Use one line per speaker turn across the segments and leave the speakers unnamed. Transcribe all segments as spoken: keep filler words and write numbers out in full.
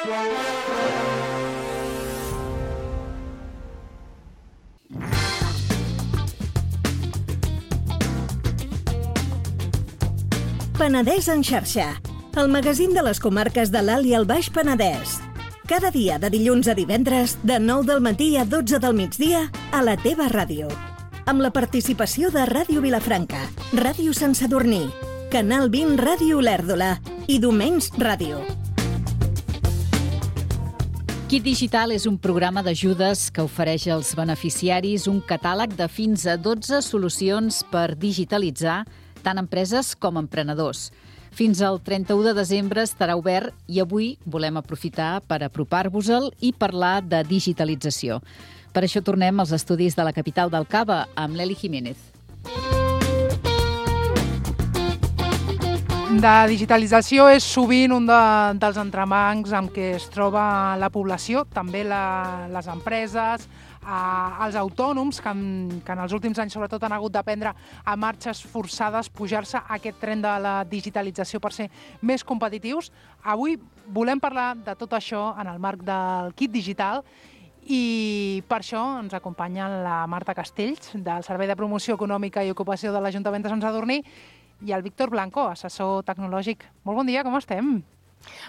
Penedès en xarxa, el magazín de les comarques de l'Alt i el Baix Penedès. Cada dia de dilluns a divendres, de nou del matí a dotze del migdia, a la teva ràdio. Amb la participació de Ràdio Vilafranca, Ràdio Sant Sadurní, Canal vint Ràdio Olèrdola i Domenys Ràdio.
Kit Digital és un programa d'ajudes que ofereix als beneficiaris un catàleg de fins a dotze solucions per digitalitzar tant empreses com emprenedors. Fins al trenta-u de desembre estarà obert i avui volem aprofitar per apropar-vos-el i parlar de digitalització. Per això tornem als estudis de la capital del Cava amb l'Eli Jiménez.
La digitalització és sovint un de, dels entrebancs amb què es troba la població, també la, les empreses, eh, els autònoms, que en, que en els últims anys sobretot han hagut d'aprendre a marxes forçades, pujar-se a aquest tren de la digitalització per ser més competitius. Avui volem parlar de tot això en el marc del Kit Digital i per això ens acompanya la Marta Castells, del Servei de Promoció Econòmica i Ocupació de l'Ajuntament de Sant Sadurní, i el Víctor Blanco, assessor tecnològic. Molt bon dia, com estem?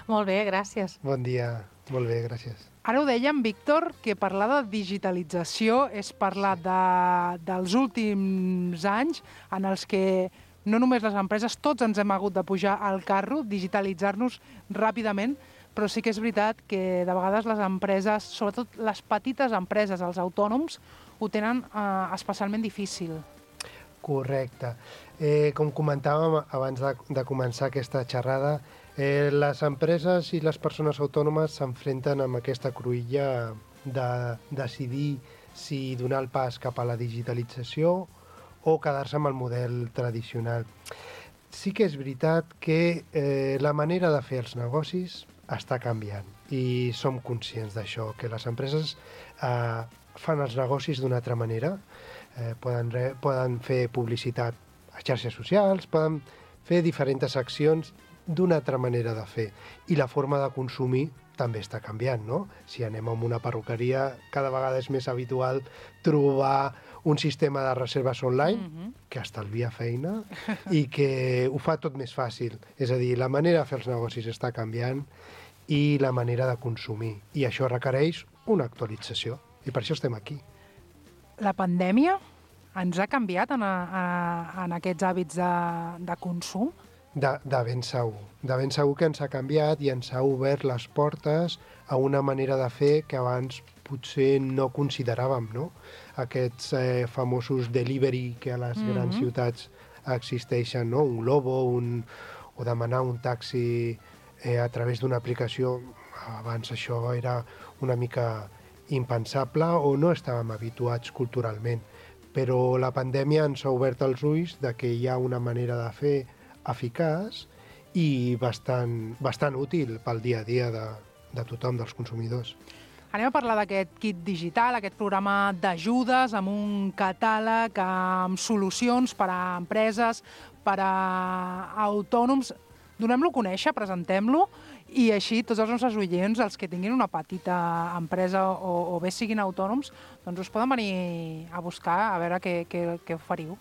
Molt bé, gràcies.
Bon dia, molt bé, gràcies.
Ara ho dèiem, Víctor, que parlar de digitalització és parlar de, dels últims anys en els que no només les empreses, tots ens hem hagut de pujar al carro, digitalitzar-nos ràpidament, però sí que és veritat que de vegades les empreses, sobretot les petites empreses, els autònoms, ho tenen eh, especialment difícil.
Correcte. Eh, com comentàvem abans de, de començar aquesta xerrada, eh, les empreses i les persones autònomes s'enfrenten amb aquesta cruïlla de decidir si donar el pas cap a la digitalització o quedar-se amb el model tradicional. Sí que és veritat que eh, la manera de fer els negocis està canviant i som conscients d'això, que les empreses eh, fan els negocis d'una altra manera. Eh, poden, re, poden fer publicitat a xarxes socials, poden fer diferents accions d'una altra manera de fer. I la forma de consumir també està canviant, no? Si anem a una perruqueria, cada vegada és més habitual trobar un sistema de reserves online mm-hmm. que estalvia feina i que ho fa tot més fàcil. És a dir, la manera de fer els negocis està canviant i la manera de consumir. I això requereix una actualització. I per això estem aquí.
La pandèmia ens ha canviat en, a, en aquests hàbits de, de consum?
De, de ben segur. De ben segur que ens ha canviat i ens ha obert les portes a una manera de fer que abans potser no consideràvem, no? Aquests eh, famosos delivery que a les mm-hmm. grans ciutats existeixen, no? Un Glovo, un, o demanar un taxi eh, a través d'una aplicació. Abans això era una mica impensable o no estàvem habituats culturalment. Però la pandèmia ens ha obert els ulls de que hi ha una manera de fer eficaç i bastant, bastant útil pel dia a dia de, de tothom, dels consumidors.
Anem a parlar d'aquest kit digital, aquest programa d'ajudes amb un catàleg, amb solucions per a empreses, per a autònoms. Donem-lo a conèixer, presentem-lo, i així tots els nostres oients, els que tinguin una petita empresa o, o bé siguin autònoms, doncs us poden venir a buscar a veure què, què, què oferiu.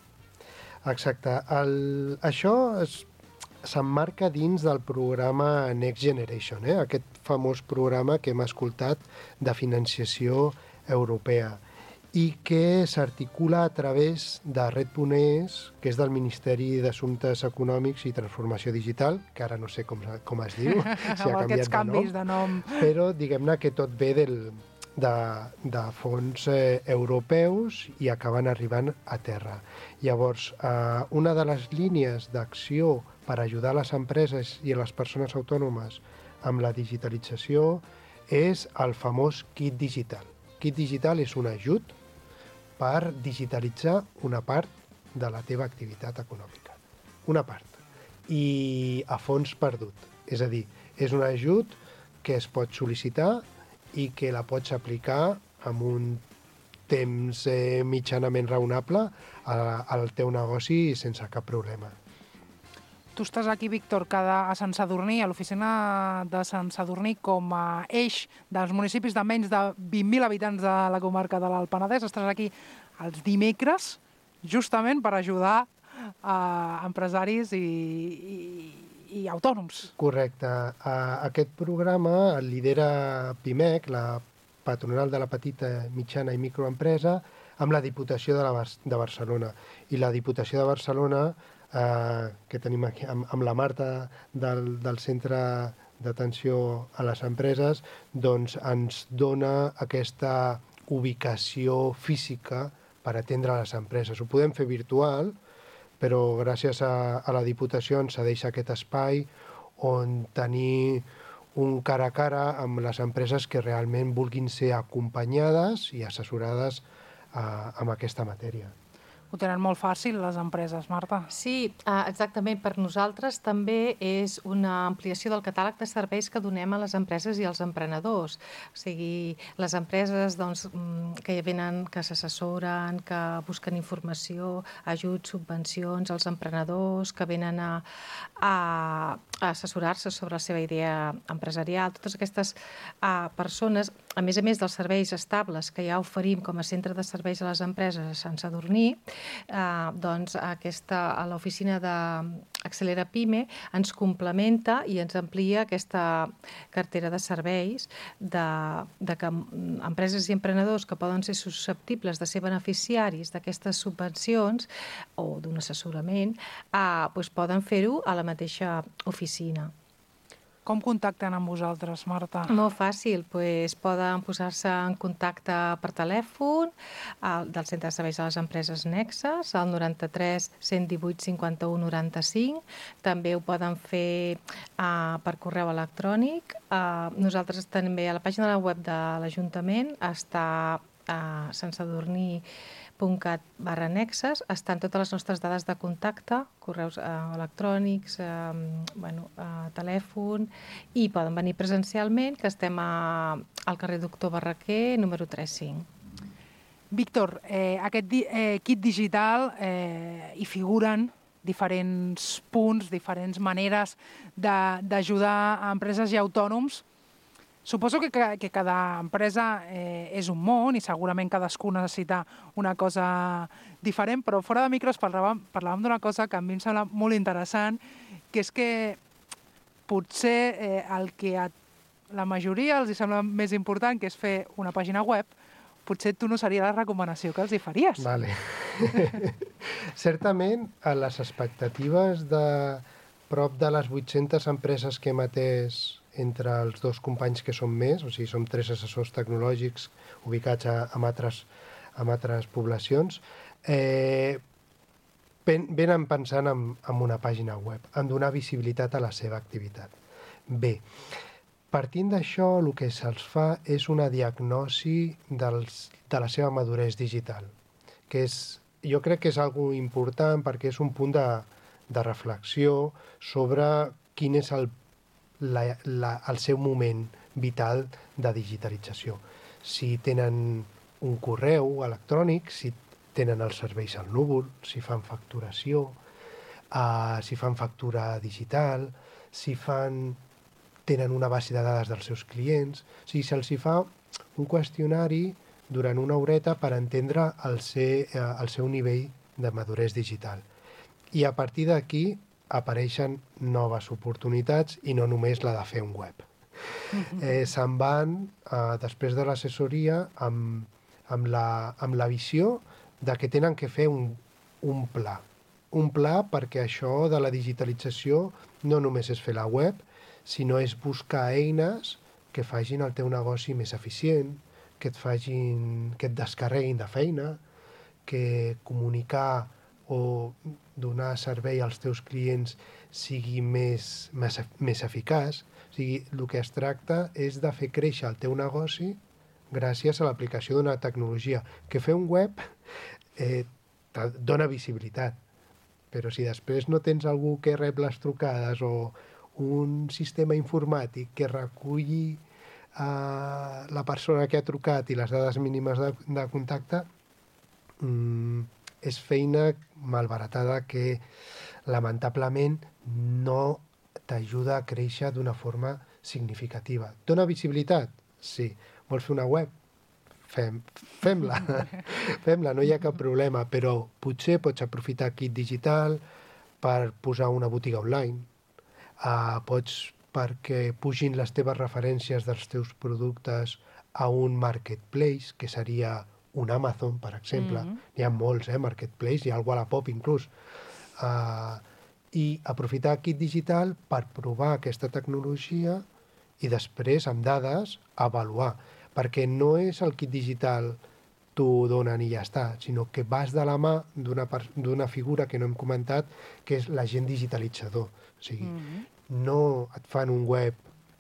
Exacte. El, això s'emmarca dins del programa Next Generation, eh? Aquest famós programa que hem escoltat de financiació europea i que s'articula a través de Red punt es, que és del Ministeri d'Assumptes Econòmics i Transformació Digital, que ara no sé com, com es diu, si ha canviat de nom,
de nom,
però diguem-ne que tot ve del, de, de fons eh, europeus i acaben arribant a terra. Llavors, eh, una de les línies d'acció per ajudar les empreses i a les persones autònomes amb la digitalització és el famós Kit Digital. Kit Digital és un ajut per digitalitzar una part de la teva activitat econòmica. Una part. I a fons perdut. És a dir, és un ajut que es pot sol·licitar i que la pots aplicar amb un temps eh, mitjanament raonable a, al teu negoci sense cap problema.
tu estàs aquí, Víctor, cada, a Sant Sadurní, a l'oficina de Sant Sadurní, com a eix dels municipis de menys de vint mil habitants de la comarca de l'Alt Penedès. Estàs aquí els dimecres, justament per ajudar a empresaris i, i, i autònoms.
Correcte. Aquest programa el lidera PIMEC, la patronal de la petita, mitjana i microempresa, amb la Diputació de, la, de Barcelona. I la Diputació de Barcelona, eh, que tenim aquí amb, amb la Marta del, del Centre d'Atenció a les Empreses, doncs ens dona aquesta ubicació física per atendre les empreses. Ho podem fer virtual, però gràcies a, a la Diputació ens cedeix aquest espai on tenir un cara a cara amb les empreses que realment vulguin ser acompanyades i assessorades uh, amb aquesta matèria.
Ho tenen molt fàcil, les empreses, Marta.
Sí, exactament. Per nosaltres també és una ampliació del catàleg de serveis que donem a les empreses i als emprenedors. O sigui, les empreses doncs, que venen, que s'assessoren, que busquen informació, ajuts, subvencions, als emprenedors que venen a, a, a assessorar-se sobre la seva idea empresarial. Totes aquestes uh, persones, a més a més dels serveis estables que ja oferim com a centre de serveis a les empreses a Sant Sadurní, eh, doncs aquesta, a l'oficina d'Accelera Pime ens complementa i ens amplia aquesta cartera de serveis de, de que empreses i emprenedors que poden ser susceptibles de ser beneficiaris d'aquestes subvencions o d'un assessorament eh, doncs poden fer-ho a la mateixa oficina.
Com contacten amb vosaltres, Marta?
Molt fàcil, doncs poden posar-se en contacte per telèfon al, del Centre de Serveis a les Empreses Nexes, al noranta-tres cent divuit cinquanta-u noranta-cinc. També ho poden fer uh, per correu electrònic. Uh, nosaltres també a la pàgina de la web de l'Ajuntament està a santsadurní punt cat barra nexes, estan totes les nostres dades de contacte, correus eh, electrònics, eh, bueno, eh, telèfon, i poden venir presencialment, que estem a, al carrer Doctor Barraquer, número tres cinc.
Víctor, eh, aquest di eh, kit digital eh, hi figuren diferents punts, diferents maneres d'ajudar a empreses i autònoms. Suposo que, que, que cada empresa eh, és un món i segurament cadascú necessita una cosa diferent, però fora de micros parlàvem, parlàvem d'una cosa que a mi em sembla molt interessant, que és que potser eh, el que a la majoria els sembla més important, que és fer una pàgina web, potser tu no seria la recomanació que els hi faries.
Vale. Certament, a les expectatives de prop de les vuit-centes empreses que hem atès entre els dos companys que som més, o sigui, som tres assessors tecnològics ubicats a, a, altres, a altres poblacions, eh, pen, venen pensant en, en una pàgina web, en donar visibilitat a la seva activitat. Bé, partint d'això, el que se'ls fa és una diagnosi dels, de la seva maduresa digital, que és, jo crec que és algo important perquè és un punt de, de reflexió sobre quin és el La, la, el seu moment vital de digitalització. Si tenen un correu electrònic, si tenen els serveis al núvol, si fan facturació, uh, si fan factura digital, si fan, tenen una base de dades dels seus clients. O sigui, se'ls fa un qüestionari durant una horeta per entendre el, ser, uh, el seu nivell de maduresa digital. I a partir d'aquí apareixen noves oportunitats i no només la de fer un web. Eh, se'n van, eh, després de l'assessoria, amb, amb, la, amb la visió de que tenen que fer un, un pla. Un pla perquè això de la digitalització no només és fer la web, sinó és buscar eines que facin el teu negoci més eficient, que et, facin, que et descarreguin de feina, que comunicar o donar servei als teus clients sigui més, més, més eficaç. O sigui, el que es tracta és de fer créixer el teu negoci gràcies a l'aplicació d'una tecnologia. Que fer un web eh, dona visibilitat, però si després no tens algú que rep les trucades o un sistema informàtic que reculli eh, la persona que ha trucat i les dades mínimes de, de contacte, mmm, és feina malbaratada que lamentablement no t'ajuda a créixer d'una forma significativa. Dona visibilitat? Sí. Vols fer una web? Fem, fem-la, fem-la, no hi ha cap problema, però potser pots aprofitar Kit Digital per posar una botiga online, uh, pots perquè pugin les teves referències dels teus productes a un marketplace, que seria un Amazon, per exemple. Mm-hmm. N'hi ha molts, eh, marketplace, hi ha el Wallapop inclús. Uh, I aprofitar Kit Digital per provar aquesta tecnologia i després, amb dades, avaluar. Perquè no és el Kit Digital t'ho donen i ja està, sinó que vas de la mà d'una d'una figura que no hem comentat, que és l'agent digitalitzador. O sigui, mm-hmm. no et fan un web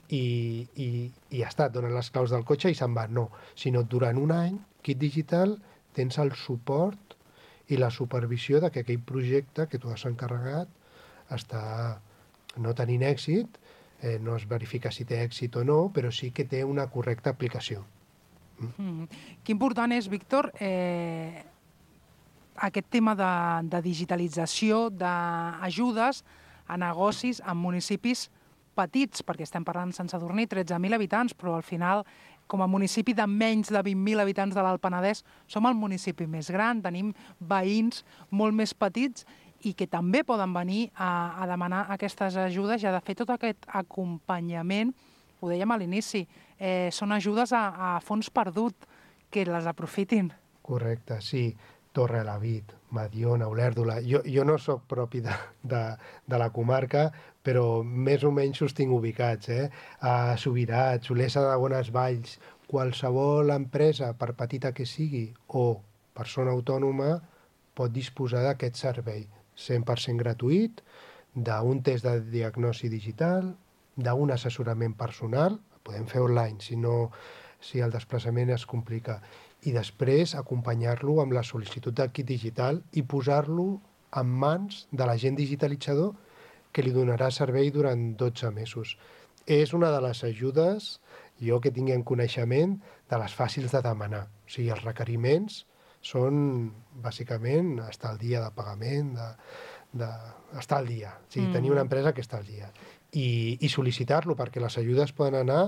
i, i, i ja està, et donen les claus del cotxe i se'n van, no. Sinó durant un any, Kit Digital, tens el suport i la supervisió de que aquell projecte que tu has encarregat està no tenint èxit, eh, no es verifica si té èxit o no, però sí que té una correcta aplicació.
Mm. Que important és, Víctor, eh, aquest tema de, de digitalització d'ajudes a negocis en municipis petits, perquè estem parlant sense dormir, tretze mil habitants, però al final, com a municipi de menys de vint mil habitants de l'Alt Penedès, som el municipi més gran, tenim veïns molt més petits i que també poden venir a, a demanar aquestes ajudes i a de fer tot aquest acompanyament. Ho dèiem a l'inici, eh, són ajudes a, a fons perdut, que les aprofitin.
Correcte, sí. Torrelavit, Mediona, Olèrdola. Jo, jo no sóc propi de, de, de la comarca, però més o menys us tinc ubicats. Eh? A Subirats, Olesa de Bonesvalls, qualsevol empresa, per petita que sigui, o persona autònoma, pot disposar d'aquest servei. cent per cent gratuït, d'un test de diagnosi digital, d'un assessorament personal, podem fer online si, no, si el desplaçament es complica, i després acompanyar-lo amb la sol·licitud del kit digital i posar-lo en mans de l'agent digitalitzador que li donarà servei durant dotze mesos. És una de les ajudes, jo que tinguem coneixement, de les fàcils de demanar. O sigui, els requeriments són, bàsicament, estar al dia de pagament, de, de, estar al dia. O sigui, mm. tenir una empresa que està al dia. I, i sol·licitar-lo, perquè les ajudes poden anar,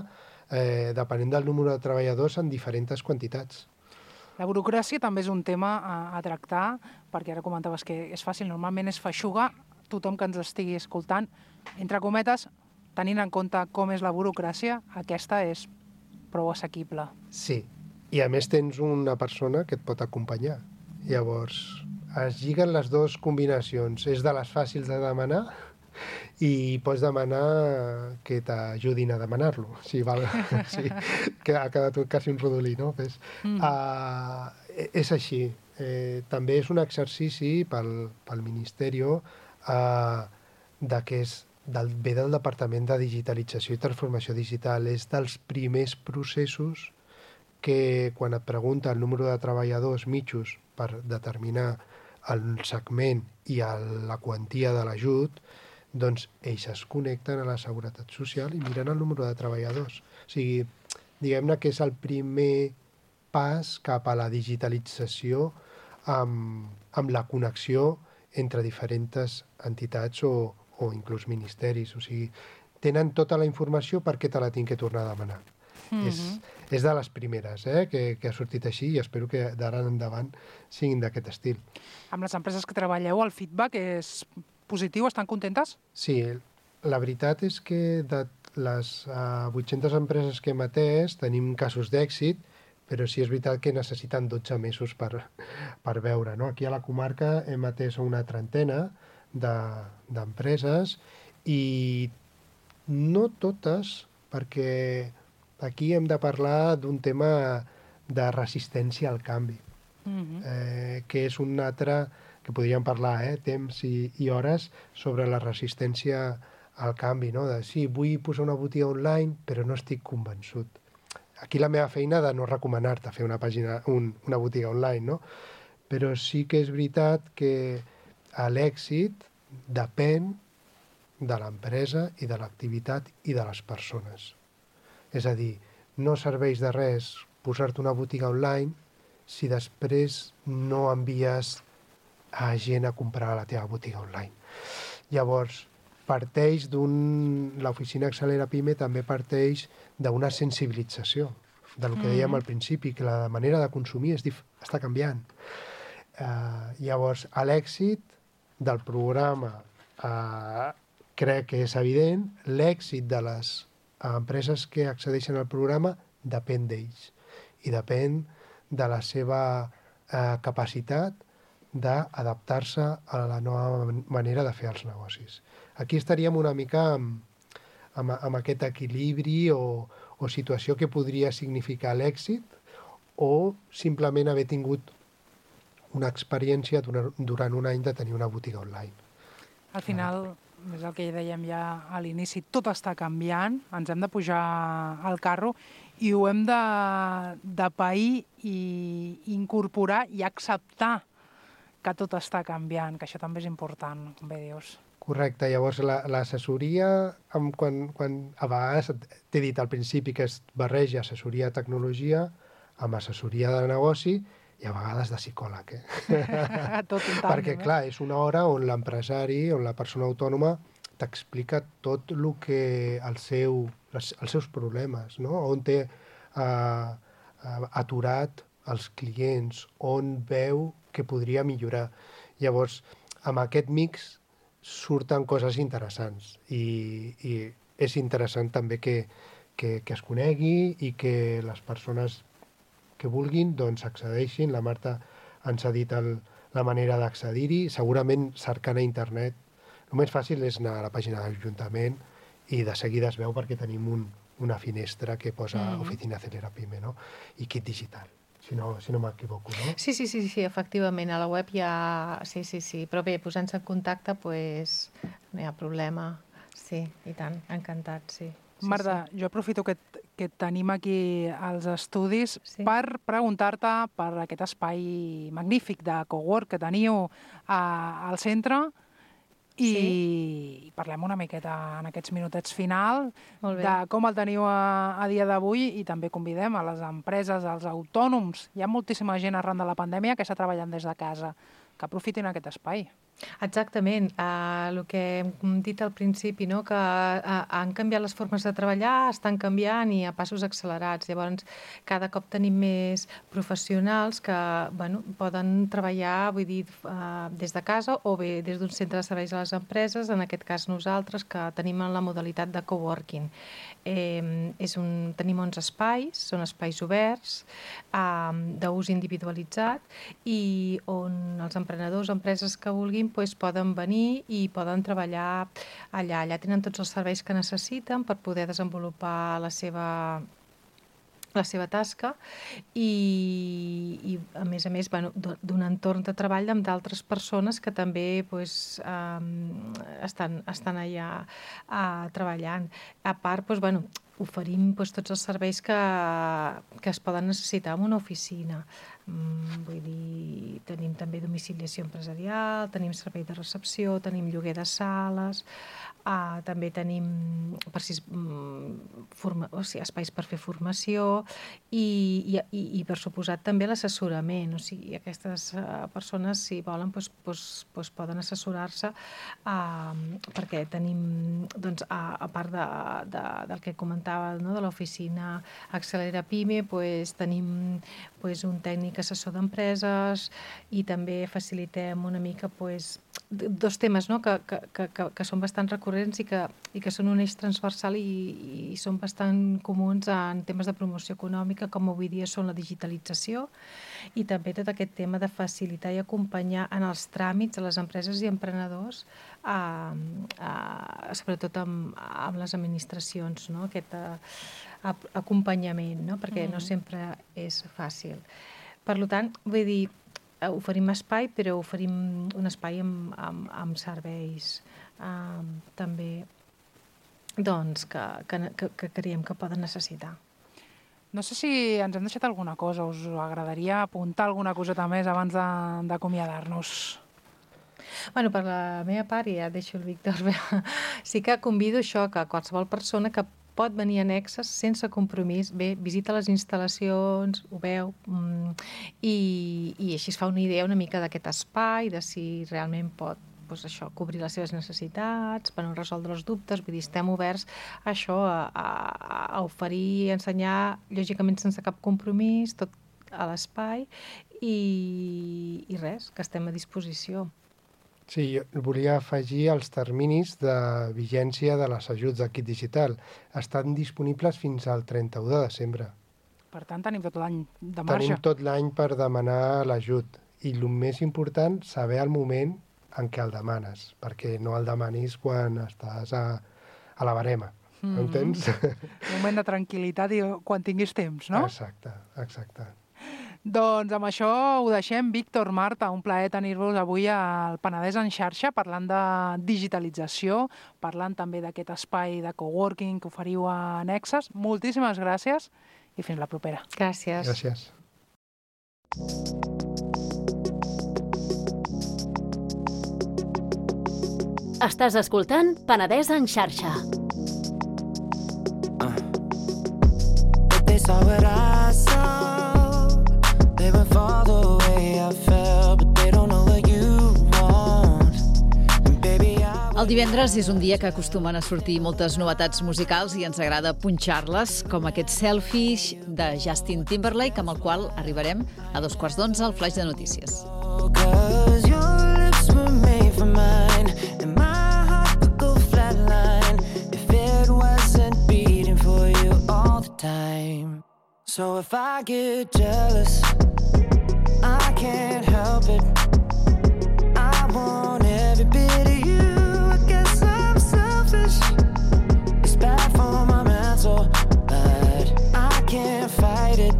eh, depenent del número de treballadors, en diferents quantitats.
La burocràcia també és un tema a, a tractar, perquè ara comentaves que és fàcil, normalment és feixuga, tothom que ens estigui escoltant, entre cometes, tenint en compte com és la burocràcia, aquesta és prou assequible.
Sí, i a més tens una persona que et pot acompanyar. Llavors, es lliguen les dues combinacions. És de les fàcils de demanar i pots demanar que t'ajudin a demanar-lo. Sí, val. Sí, que ha quedat quasi un rodolí, no? Pues, mm. uh, és així. Eh, també és un exercici pel, pel Ministeri uh, de que és del, ve del Departament de Digitalització i Transformació Digital. És dels primers processos que quan et pregunta el número de treballadors mitjos per determinar el segment i el, la quantia de l'ajut, doncs ells es connecten a la Seguretat Social i miren el número de treballadors. O sigui, diguem-ne que és el primer pas cap a la digitalització amb, amb la connexió entre diferents entitats o, o inclús ministeris. O sigui, tenen tota la informació perquè te la tinc que tornar a demanar. Mm-hmm. és, és de les primeres eh, que, que ha sortit així i espero que d'ara en endavant siguin d'aquest estil.
Amb les empreses que treballeu, el feedback és positiu? Estan contentes?
Sí, la veritat és que de les uh, vuit-centes empreses que hem atès tenim casos d'èxit, però sí és veritat que necessiten dotze mesos per, per veure. No? Aquí a la comarca hem atès una trentena d'empreses de, i no totes, perquè aquí hem de parlar d'un tema de resistència al canvi, mm-hmm. eh, que és un altre, que podríem parlar, eh, temps i, i hores, sobre la resistència al canvi, no? De, sí, vull posar una botiga online, però no estic convençut. Aquí la meva feina de no recomanar-te fer una pàgina, un, una botiga online, no? Però sí que és veritat que l'èxit depèn de l'empresa i de l'activitat i de les persones. És a dir, no serveix de res posar-te una botiga online si després no envies a gent a comprar a la teva botiga online. Llavors, parteix d'un... L'oficina Accelera Pime també parteix d'una sensibilització, del que dèiem al principi, que la manera de consumir és dif... està canviant. Uh, llavors, l'èxit del programa uh, crec que és evident, l'èxit de les empreses que accedeixen al programa depèn d'ells i depèn de la seva uh, capacitat d'adaptar-se a la nova manera de fer els negocis. Aquí estaríem una mica amb, amb, amb aquest equilibri o, o situació que podria significar l'èxit o simplement haver tingut una experiència durant, durant un any de tenir una botiga online.
Al final, és el que dèiem ja a l'inici, tot està canviant, ens hem de pujar al carro i ho hem de, de pair i incorporar i acceptar que tot està canviant, que això també és important, com bé dius.
Correcte, llavors l'assessoria, quan, quan a vegades t'he dit al principi que es barreja assessoria de tecnologia amb assessoria de negoci i a vegades de psicòleg. Eh?
Tot un tant,
perquè, clar, és una hora on l'empresari, on la persona autònoma t'explica tot el que el seu, les, els seus problemes, no? On té uh, aturat els clients, on veu que podria millorar. Llavors, amb aquest mix surten coses interessants i, i és interessant també que, que, que es conegui i que les persones que vulguin doncs accedeixin. La Marta ens ha dit el, la manera d'accedir-hi, segurament cercant a internet. El més fàcil és anar a la pàgina de l'Ajuntament i de seguida es veu perquè tenim un, una finestra que posa mm. Oficina Accelera Pime, no? I kit digital. Si no, si no m'equivoco, no?
Sí, sí, sí, sí, efectivament, a la web hi ha... Sí, sí, sí, però bé, posant-se en contacte, pues, no hi ha problema. Sí, i tant, encantat, sí. sí
Marta, sí. Jo aprofito que, que tenim aquí als estudis sí. per preguntar-te per aquest espai magnífic de cowork que teniu a, al centre i sí. parlem una miqueta en aquests minutets final de com el teniu a, a dia d'avui i també convidem a les empreses, als autònoms. Hi ha moltíssima gent arran de la pandèmia que està treballant des de casa, que aprofitin aquest espai.
Exactament, uh, el que hem dit al principi, no? Que uh, han canviat les formes de treballar, estan canviant i a passos accelerats. Llavors, cada cop tenim més professionals que bueno, poden treballar vull dir, uh, des de casa o bé des d'un centre de serveis a les empreses, en aquest cas nosaltres, que tenim la modalitat de coworking. Eh, és un, tenim onze espais, són espais oberts, eh, d'ús individualitzat i on els emprenedors o empreses que vulguin pues, poden venir i poden treballar allà. Allà tenen tots els serveis que necessiten per poder desenvolupar la seva la seva tasca i, i a més a més bueno, d'un entorn de treball amb d'altres persones que també pues, um, estan, estan allà uh, treballant. A part, pues, bueno, oferim pues, tots els serveis que, que es poden necessitar en una oficina. Mm, vull dir, tenim també domiciliació empresarial, tenim servei de recepció, tenim lloguer de sales, uh, també tenim per si, mm, forma, o sigui, espais per fer formació i, i, i per suposat també l'assessorament. O sigui, aquestes uh, persones, si volen, pues, pues, pues poden assessorar-se uh, perquè tenim, doncs, a, a part de, de, del que comentava, no, de l'oficina Accelera Pime, pues, tenim pues, un tècnic assessor d'empreses i també facilitem una mica pues, dos temes no? que, que, que, que són bastant recurrents i que, i que són un eix transversal i, i són bastant comuns en temes de promoció econòmica, com avui dia són la digitalització i també tot aquest tema de facilitar i acompanyar en els tràmits a les empreses i emprenedors, a, a, sobretot amb, amb les administracions, no? Aquest a, a, acompanyament, no? Perquè mm. no sempre és fàcil. Per tant, vull dir, oferim espai, però oferim un espai amb, amb, amb serveis um, també doncs, que, que, que creiem que poden necessitar.
No sé si ens hem deixat alguna cosa, us agradaria apuntar alguna coseta més abans d'acomiadar-nos?
Bueno, per la meva part, ja deixo el Víctor, sí que convido això, que qualsevol persona que pot venir annexes sense compromís, bé, visita les instal·lacions, ho veu, mm, i, i així es fa una idea una mica d'aquest espai, de si realment pot doncs això, cobrir les seves necessitats, per no resoldre els dubtes, vull dir, estem oberts a això, a, a, a oferir, a ensenyar, lògicament sense cap compromís, tot a l'espai, i, i res, que estem a disposició.
Sí, jo volia afegir els terminis de vigència de les ajuts de Kit Digital. Estan disponibles fins al trenta-u de desembre.
Per tant, tenim tot l'any de marge.
Tenim tot l'any per demanar l'ajut. I el més important, saber el moment en què el demanes, perquè no el demanis quan estàs a, a la barema. Mm-hmm. Entens?
Un moment de tranquil·litat i quan tinguis temps, no?
Exacte, exacte.
Doncs amb això ho deixem. Víctor, Marta, un plaer tenir-vos avui al Penedès en xarxa, parlant de digitalització, parlant també d'aquest espai de coworking que oferiu a Nexes. Moltíssimes gràcies i fins la propera.
Gràcies.
Gràcies.
Estàs escoltant Penedès en xarxa. Uh. They saw what I saw. They went far the way I felt, but they don't know what you want. And baby, I... El divendres és un dia que acostumen a sortir moltes novetats musicals i ens agrada punxar-les, com aquest Selfish de Justin Timberlake, amb el qual arribarem a dos quarts d'onze al Flaix de Notícies. Cause your lips were made for mine, and my heart would go flatline if it wasn't beating for you all the time. So if I get jealous, I can't help it. I want every bit of you. I guess I'm selfish. It's bad for my mental, but I can't fight it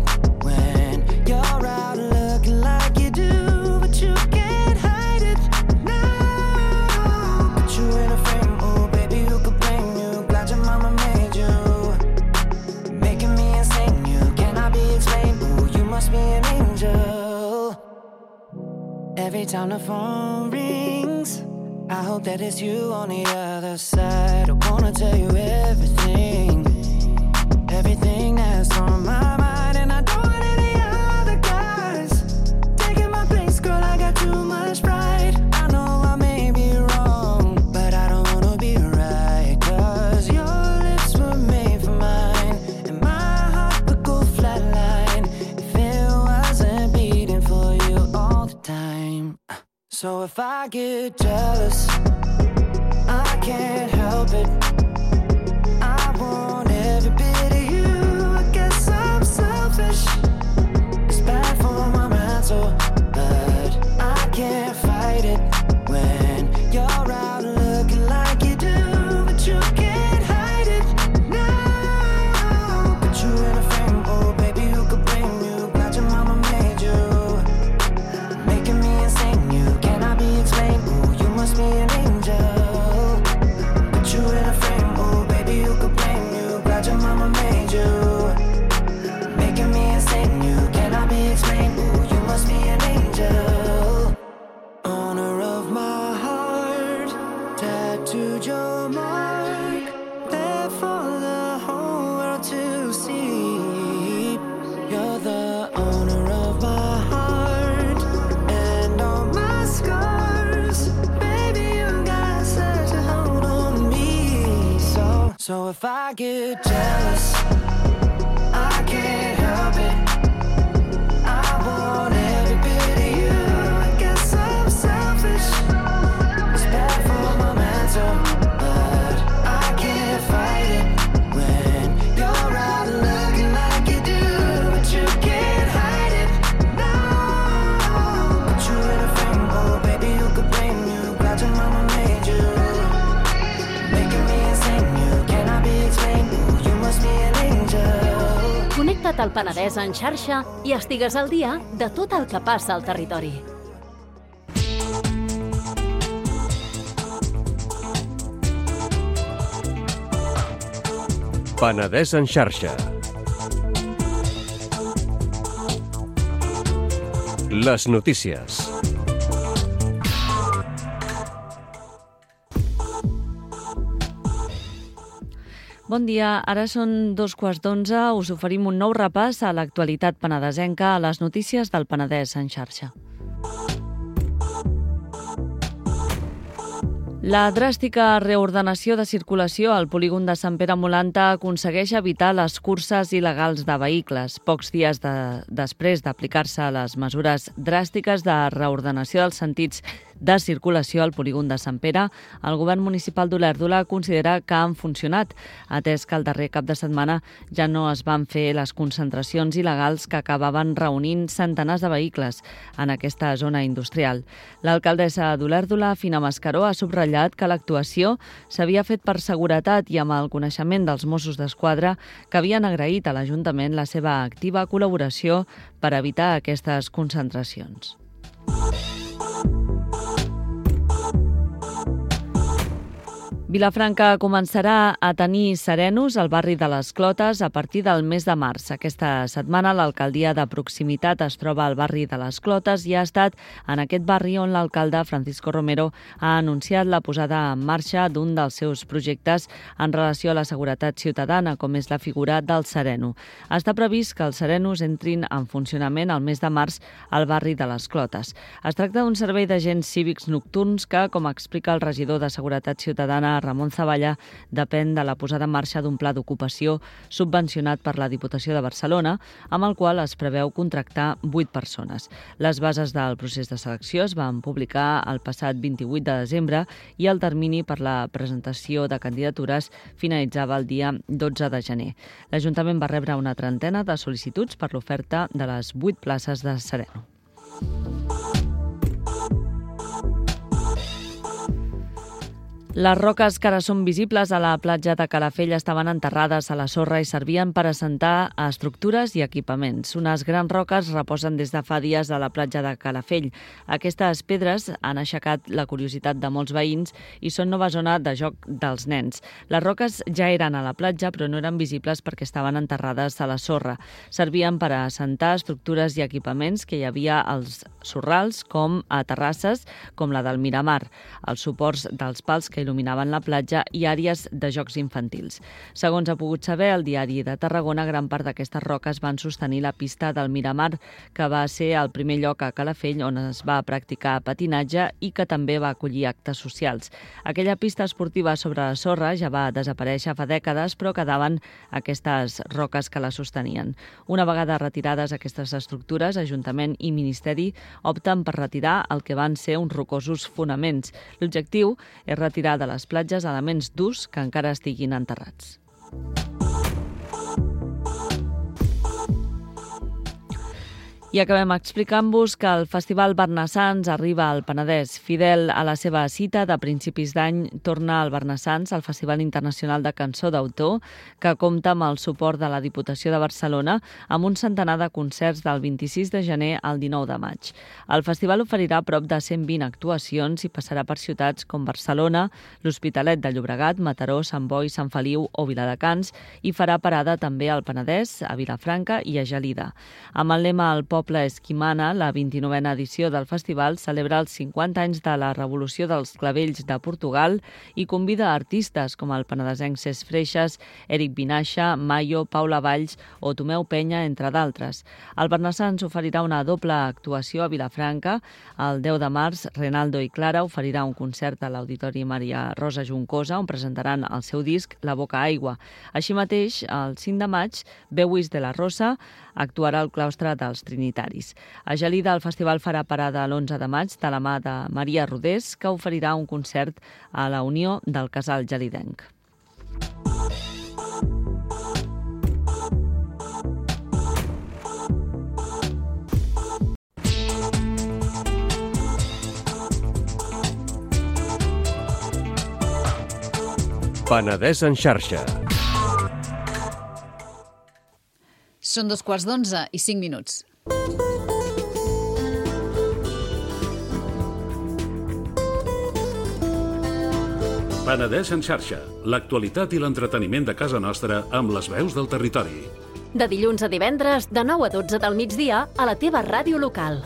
when you're out looking like you do, but you can't hide it. No, put you in a frame, oh baby, who could blame you? Glad your mama made you, making me insane. You cannot be explained. Oh, you must be an angel. Every time the phone rings, I hope that it's you on the other side. I wanna tell you everything, everything that's on my mind. And I don't want any other guys taking my place, girl, I got too much pride. I know I may be wrong, but I don't wanna be right. Cause your lips were made for mine, and my heart would go flatline if it wasn't beating for you all the time. So if I get jealous, I can't help it. I want every bit of you. I guess I'm selfish. It's bad for my mental, but I can't fight it when you're out looking like you do, but you can't hide it. No, put you in a frame, oh baby, who could blame you? Glad your mama made you, making me insane. You cannot be explained. Oh, you must be an angel. Put you in a frame, oh baby, who could blame you? Glad your mama made you, making me insane. You cannot be explained. Oh, you must be an angel. Owner of my heart, tattooed your mark, there for the whole world to see. You're the owner of my heart and all my scars. Baby, you got such a hold on me. So, so if I get jealous, I can't help it. I want every bit of you. I guess I'm selfish. It's bad for my mental, but I can't fight it when you're out looking like you do, but you can't hide it. No, put you in a frame, oh baby, who could blame you? Glad your mama made you, making me insane. You cannot be explained. Oh, you must be an angel. Connecta't al Penedès en xarxa i estigues al dia de tot el que passa al territori.
Penedès en xarxa. Les notícies.
Bon dia, ara són dos quarts d'onze. Us oferim un nou repàs a l'actualitat penedesenca a les notícies del Penedès en xarxa. La dràstica reordenació de circulació al polígon de Sant Pere Molanta aconsegueix evitar les curses il·legals de vehicles. Pocs dies de, després d'aplicar-se les mesures dràstiques de reordenació dels sentits de circulació al polígon de Sant Pere, el govern municipal d'Olèrdola considera que han funcionat, atès que el darrer cap de setmana ja no es van fer les concentracions il·legals que acabaven reunint centenars de vehicles en aquesta zona industrial. L'alcaldessa d'Olèrdola, Fina Mascaró, ha subratllat que l'actuació s'havia fet per seguretat i amb el coneixement dels Mossos d'Esquadra, que havien agraït a l'Ajuntament la seva activa col·laboració per evitar aquestes concentracions. Vilafranca començarà a tenir serenos al barri de les Clotes a partir del mes de març. Aquesta setmana l'alcaldia de proximitat es troba al barri de les Clotes i ha estat en aquest barri on l'alcalde Francisco Romero ha anunciat la posada en marxa d'un dels seus projectes en relació a la seguretat ciutadana, com és la figura del sereno. Està previst que els serenos entrin en funcionament el mes de març al barri de les Clotes. Es tracta d'un servei d'agents cívics nocturns que, com explica el regidor de Seguretat Ciutadana, Ramon Zavalla, depèn de la posada en marxa d'un pla d'ocupació subvencionat per la Diputació de Barcelona, amb el qual es preveu contractar vuit persones. Les bases del procés de selecció es van publicar el passat vint-i-vuit de desembre i el termini per la presentació de candidatures finalitzava el dia dotze de gener. L'Ajuntament va rebre una trentena de sol·licituds per l'oferta de les vuit places de sereno. Les roques que ara són visibles a la platja de Calafell estaven enterrades a la sorra i servien per assentar a estructures i equipaments. Unes grans roques reposen des de fa dies a la platja de Calafell. Aquestes pedres han aixecat la curiositat de molts veïns i són nova zona de joc dels nens. Les roques ja eren a la platja, però no eren visibles perquè estaven enterrades a la sorra. Servien per assentar estructures i equipaments que hi havia als sorrals, com a terrasses, com la del Miramar, els suports dels pals que il·luminaven la platja i àrees de jocs infantils. Segons ha pogut saber el Diari de Tarragona, gran part d'aquestes roques van sostenir la pista del Miramar, que va ser el primer lloc a Calafell on es va practicar patinatge i que també va acollir actes socials. Aquella pista esportiva sobre la sorra ja va desaparèixer fa dècades, però quedaven aquestes roques que la sostenien. Una vegada retirades aquestes estructures, Ajuntament i Ministeri opten per retirar el que van ser uns rocosos fonaments. L'objectiu és retirar de les platges elements durs que encara estiguin enterrats. I acabem explicant-vos que el Festival Barnassans arriba al Penedès. Fidel a la seva cita de principis d'any, torna al Barnassans, el Festival Internacional de Cançó d'Autor, que compta amb el suport de la Diputació de Barcelona, amb un centenar de concerts del vint-i-sis de gener al dinou de maig. El festival oferirà prop de cent vint actuacions i passarà per ciutats com Barcelona, l'Hospitalet de Llobregat, Mataró, Sant Boi, Sant Feliu o Viladecans, i farà parada també al Penedès, a Vilafranca i a Gelida. Amb el lema El poble és qui mana, la vint-i-novena edició del festival celebra els cinquanta anys de la Revolució dels Clavells de Portugal i convida artistes com el penedesenc Cesc Freixas, Eric Vinaixa, Mayo, Paula Valls o Tomeu Penya, entre d'altres. El Barnassans oferirà una doble actuació a Vilafranca. El deu de març, Renaldo i Clara oferirà un concert a l'Auditori Maria Rosa Juncosa, on presentaran el seu disc La Boca Aigua. Així mateix, el cinc de maig, Beuis de la Rosa actuarà al claustre dels Trinitaris. A Gelida el festival farà parada l'onze de maig de la mà de Maria Rodés, que oferirà un concert a la Unió del Casal Gelidenc.
Penedès en xarxa.
Són dos quarts d'onze i cinc minuts.
Penedès en xarxa, l'actualitat i l'entreteniment de casa nostra amb les veus del territori.
De dilluns a divendres, de nou a dotze del migdia, a la teva ràdio local.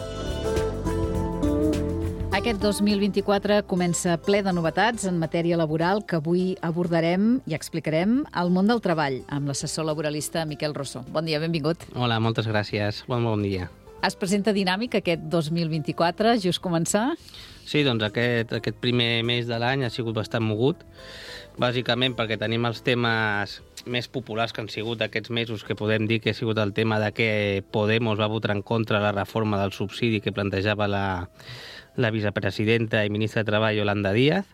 Aquest dos mil vint-i-quatre comença ple de novetats en matèria laboral que avui abordarem i explicarem al món del treball amb l'assessor laboralista Miquel Rosso. Bon dia, benvingut.
Hola, moltes gràcies. Bon, bon dia.
Es presenta dinàmic aquest dos mil vint-i-quatre, just començar?
Sí, doncs aquest, aquest primer mes de l'any ha sigut bastant mogut, bàsicament perquè tenim els temes més populars que han sigut aquests mesos, que podem dir que ha sigut el tema de que Podemos va votar en contra la reforma del subsidi que plantejava la, la vicepresidenta i ministra de Treball, Yolanda Díaz.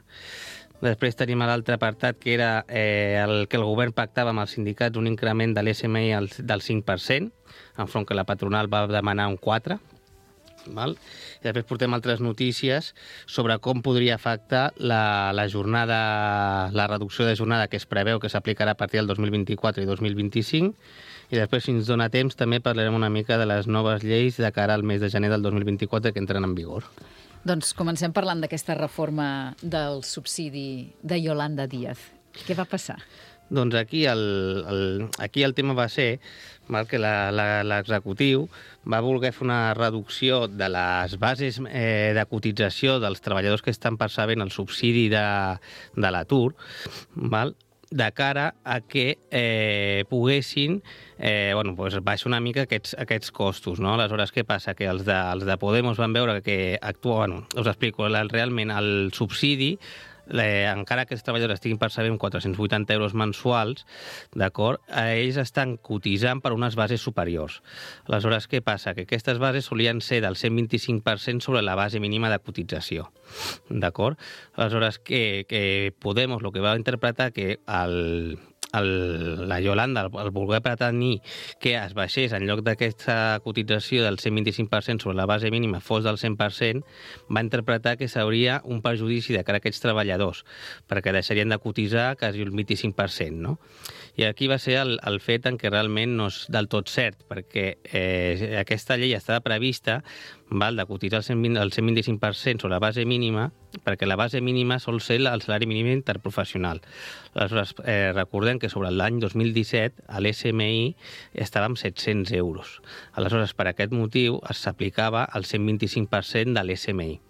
Després tenim l'altre apartat, que era eh, el que el govern pactava amb els sindicats un increment de l'S M I del cinc per cent, enfront que la patronal va demanar un quatre per cent. Val? I després portem altres notícies sobre com podria afectar la, la jornada, la reducció de jornada que es preveu que s'aplicarà a partir del dos mil vint-i-quatre i dos mil vint-i-cinc. I després, si ens dona temps, també parlarem una mica de les noves lleis de cara al mes de gener del dos mil vint-i-quatre que entren en vigor.
Doncs comencem parlant d'aquesta reforma del subsidi de Yolanda Díaz. Què va passar?
Doncs aquí el, el, aquí el tema va ser mal, que l'executiu va voler fer una reducció de les bases eh, de cotització dels treballadors que estan percebent el subsidi de, de l'atur, val? De cara a que eh, poguessin eh, bueno, pues baixar una mica aquests, aquests costos. No? Aleshores, què passa? Que els de, els de Podemos van veure que actua... Bueno, us explico, realment el subsidi, Eh, encara que els treballadors estiguin percebent quatre-cents vuitanta euros mensuals, d'acord, eh, ells estan cotitzant per unes bases superiors. Aleshores, què passa? Que aquestes bases solien ser del cent vint-i-cinc per cent sobre la base mínima de cotització. D'acord? Aleshores, que, que Podemos el que va interpretar que el... El, la Yolanda, el, el voler pretenir que es baixés en lloc d'aquesta cotització del cent vint-i-cinc per cent sobre la base mínima fos del cent per cent, va interpretar que s'hauria un perjudici de cara a aquests treballadors, perquè deixarien de cotitzar quasi el vint-i-cinc per cent, no? I aquí va ser el, el fet en què realment no és del tot cert, perquè eh, aquesta llei estava prevista val, de cotitzar el cent vint-i-cinc per cent sobre la base mínima, perquè la base mínima sol ser el salari mínim interprofessional. Aleshores, eh, recordem que sobre l'any dos mil disset l'S M I estava amb set-cents euros. Aleshores, per aquest motiu s'aplicava el cent vint-i-cinc per cent de l'S M I.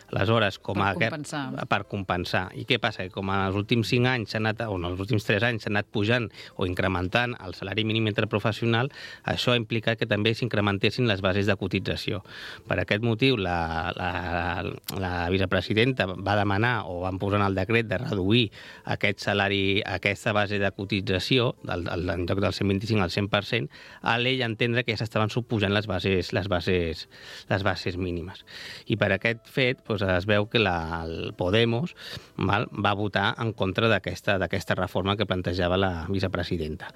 Aleshores, com a
per compensar.
Per compensar. I què passa? Que com en els últims cinc anys, s'ha anat, o en els últims tres anys, s'ha anat pujant o incrementant el salari mínim interprofessional, això ha implicat que també s'incrementessin les bases de cotització. Per aquest motiu, la, la, la vicepresidenta va demanar, o van posar en el decret, de reduir aquest salari, aquesta base de cotització, del, del, en lloc del cent vint-i-cinc al cent per cent, a l'ell entendre que ja s'estaven subpujant les bases, les bases, les bases mínimes. I per aquest fet, doncs, es veu que la, el Podemos val, va votar en contra d'aquesta d'aquesta reforma que plantejava la vicepresidenta.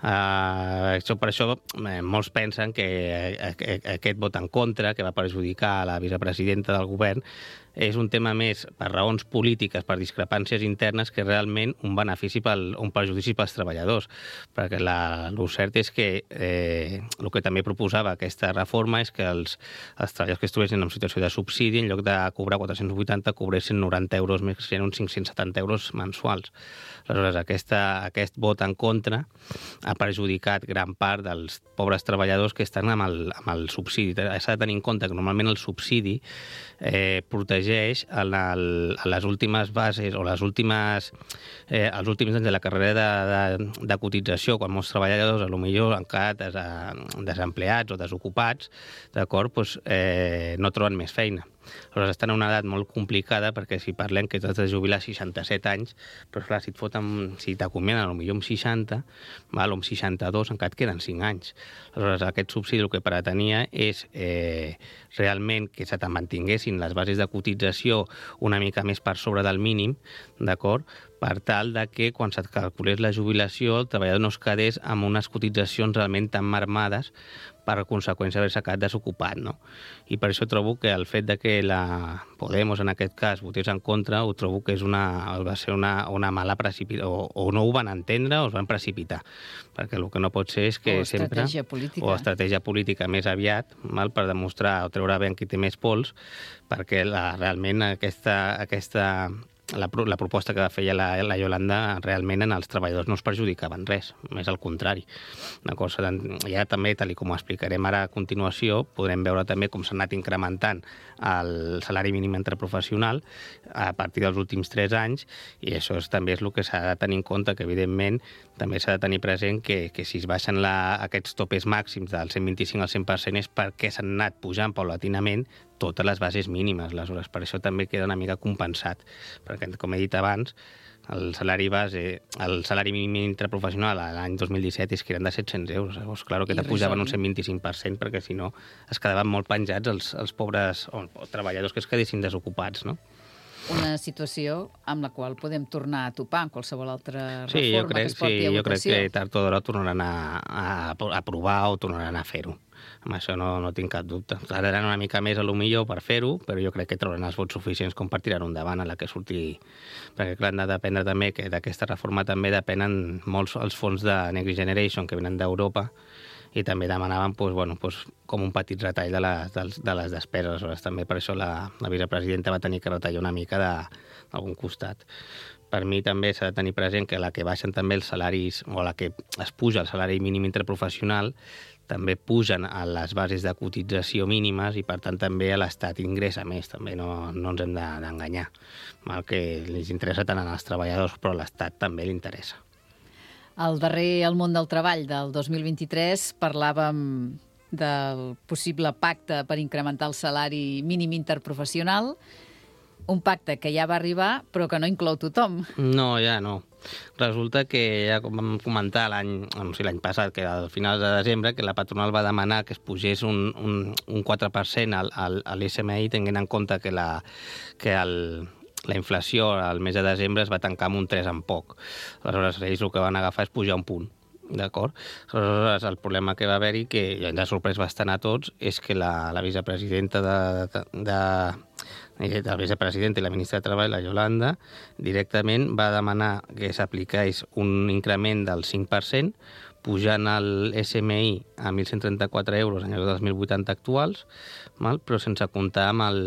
Uh, això, per això eh, molts pensen que eh, aquest vot en contra, que va perjudicar la vicepresidenta del govern, és un tema més per raons polítiques, per discrepàncies internes, que realment un benefici, pel, un perjudici pels treballadors. Perquè la, el cert és que eh, el que també proposava aquesta reforma és que els, els treballadors que estiguessin en situació de subsidi, en lloc de cobrar quatre-cents vuitanta, cobressin noranta euros més, que serien uns cinc-cents setanta euros mensuals. Aleshores, aquesta, aquest vot en contra ha perjudicat gran part dels pobres treballadors que estan amb el, amb el subsidi. S'ha de tenir en compte que normalment el subsidi eh, protegeix en, el, en les últimes bases o les últimes, eh, els últims anys de la carrera de, de, de cotització, quan molts treballadors potser han quedat des, desempleats o desocupats, d'acord, doncs, eh, no troben més feina. Aleshores, estan en una edat molt complicada, perquè si parlem que t'has de jubilar a seixanta-set anys, però clar, si et foten, si t'acomiaden potser amb seixanta, val, o amb seixanta-dos, encara et queden cinc anys. Aleshores, aquest subsidi el que pretenia és eh, realment que se te'n mantinguessin les bases de cotització una mica més per sobre del mínim, d'acord? Per tal de que quan se't calculés la jubilació el treballador no es quedés amb unes cotitzacions realment tan marmades per conseqüència d'haver-se quedat desocupat, no? I per això trobo que el fet de que la Podemos, en aquest cas, votés en contra, ho trobo que és una, va ser una, una mala precipitació, o, o no ho van entendre o es van precipitar, perquè el que no pot ser és que
o
sempre...
estratègia política.
O estratègia política més aviat, mal, per demostrar o treure ben qui té més pols, perquè la, realment aquesta... aquesta La, la proposta que va fer la, la Yolanda realment en els treballadors no es perjudicaven res, més al contrari. Una cosa, ja també, tal com ho explicarem ara a continuació, podrem veure també com s'ha anat incrementant el salari mínim interprofessional a partir dels últims tres anys, i això és, també és el que s'ha de tenir en compte, que evidentment també s'ha de tenir present que, que si es baixen la, aquests topes màxims del cent vint-i-cinc al cent per cent és perquè s'han anat pujant paulatinament totes les bases mínimes. Aleshores, per això també queda una mica compensat, perquè, com he dit abans, el salari base, el salari mínim interprofessional l'any dos mil disset és que eren de set-cents euros. Llavors, clar, que te pujaven un cent vint-i-cinc per cent perquè si no es quedaven molt penjats els, els pobres o, o treballadors que es quedessin desocupats, no?
Una situació amb la qual podem tornar a topar en qualsevol altra reforma
sí, jo crec,
que es porti
sí,
a
jo crec
votació.
que tard o d'hora tornaran a, a, a provar o tornaran a fer-ho. Amb això no, no tinc cap dubte. Tardaran una mica més a lo millor per fer-ho, però jo crec que trauran els vots suficients com per tirar-ho endavant a la que surti. Perquè clar, han de dependre també que d'aquesta reforma també depenen molts els fons de Next Generation que venen d'Europa i també demanaven pues, bueno, pues, com un petit retall de les, de, de les despeses. Aleshores, també per això la, la vicepresidenta va tenir que retallar una mica d'algun costat. Per mi també s'ha de tenir present que la que baixen també els salaris, o la que es puja el salari mínim interprofessional, també pugen a les bases de cotització mínimes i, per tant, també a l'Estat ingressa més. També no, no ens hem d'enganyar. Mal que els interessa tant als treballadors, però a l'Estat també li interessa.
Al darrer El món del treball del dos mil vint-i-tres parlàvem del possible pacte per incrementar el salari mínim interprofessional, un pacte que ja va arribar però que no inclou tothom.
No, ja no. Resulta que ja com vam comentar l'any no sé, l'any passat, que al final de desembre, que la patronal va demanar que es pugés un, un, un quatre per cent al, al, a l'S M I, tenint en compte que la, que el, la inflació al mes de desembre es va tancar amb un tres en poc. Aleshores, ells el que van agafar és pujar un punt. D'acord? Aleshores, el problema que va haver-hi, que ja ens ha sorprès bastant a tots, és que la, la vicepresidenta de, de, de, de la vicepresidenta i la ministra de Treball, la Yolanda, directament va demanar que s'apliqués un increment del cinc per cent, pujant el S M I a mil cent trenta-quatre euros en lloc dels mil vuitanta actuals, mal? Però sense comptar amb el,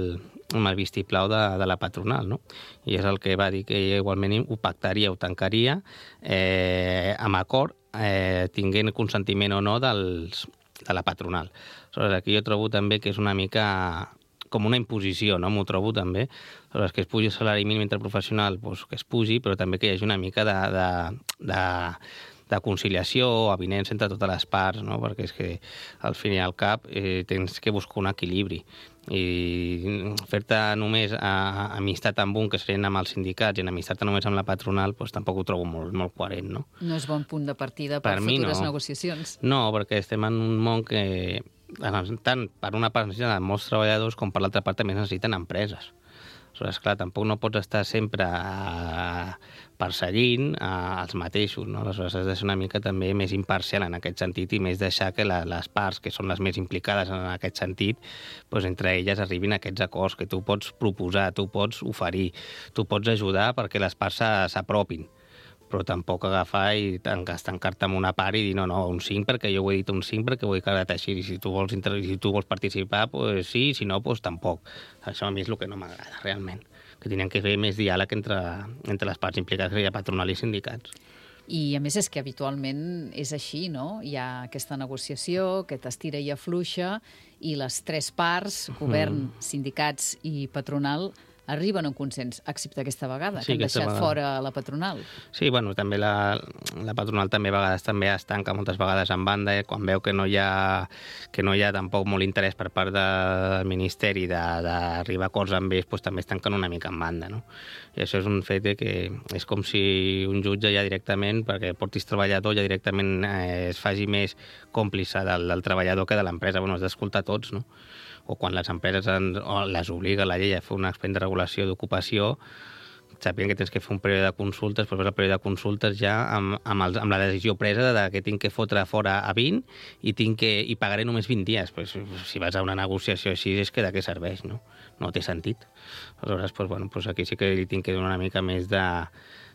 amb el vistiplau de, de la patronal, no? I és el que va dir que igualment ho pactaria, ho tancaria eh, amb acord, eh, tinguent consentiment o no dels, de la patronal. Aleshores, aquí jo trobo també que és una mica com una imposició, no? M'ho trobo també. Aleshores, que es pugi el salari mínim interprofessional, doncs que es pugi, però també que hi hagi una mica de, de, de, de conciliació o avinença entre totes les parts, no? Perquè és que al fin i al cap eh, tens que buscar un equilibri. I fer-te només a, a amistat amb un, que serien amb els sindicats, i en amistat només amb la patronal, doncs tampoc ho trobo molt, molt coherent, no?
No és bon punt de partida per, per futures no. negociacions.
No, perquè estem en un món que tant per una part necessiten molts treballadors com per l'altra part també necessiten empreses. Aleshores, clar, tampoc no pots estar sempre a, perseguint a, als mateixos, no? Aleshores, has de ser una mica també més imparcial en aquest sentit i més deixar que la, les parts que són les més implicades en aquest sentit, doncs entre elles arribin a aquests acords que tu pots proposar, tu pots oferir, tu pots ajudar perquè les parts s'apropin, però tampoc agafar i estancar-te en una part i dir no, no, un cinc perquè jo ho he dit un cinc perquè ho he quedat així, i si tu vols, si tu vols participar, doncs sí, si no, doncs tampoc. Això a mi és el que no m'agrada, realment, que tenien que fer més diàleg entre, entre les parts implicades, que hi ha patronal i sindicats.
I a més és que habitualment és així, no? Hi ha aquesta negociació, aquest estira i afluixa, i les tres parts, govern, mm. sindicats i patronal, arriben a un consens, excepte aquesta vegada, sí, que han deixat vegada. Fora la patronal.
Sí, bueno, també la, la patronal també a vegades també es tanca moltes vegades en banda, eh, quan veu que no hi ha que no hi ha tampoc molt interès per part del Ministeri d'arribar a acords amb ells, doncs també es tanquen una mica en banda, no? I això és un fet que és com si un jutge ja directament, perquè portis treballador, ja directament eh, es faci més còmplice del, del treballador que de l'empresa. Bueno, has d'escoltar tots, no? O quan les empreses en, o les obliga la llei a fer un expedient de regulació d'ocupació, sabien que tens que fer un període de consultes, però el període de consultes ja amb, amb, el, amb la decisió presa de que tinc que fotre fora a vint i, tinc que, i pagaré només vint dies. Pues, si vas a una negociació així és que de què serveix, no? No té sentit. Aleshores, pues, bueno, pues aquí sí que li tinc que donar una mica més de,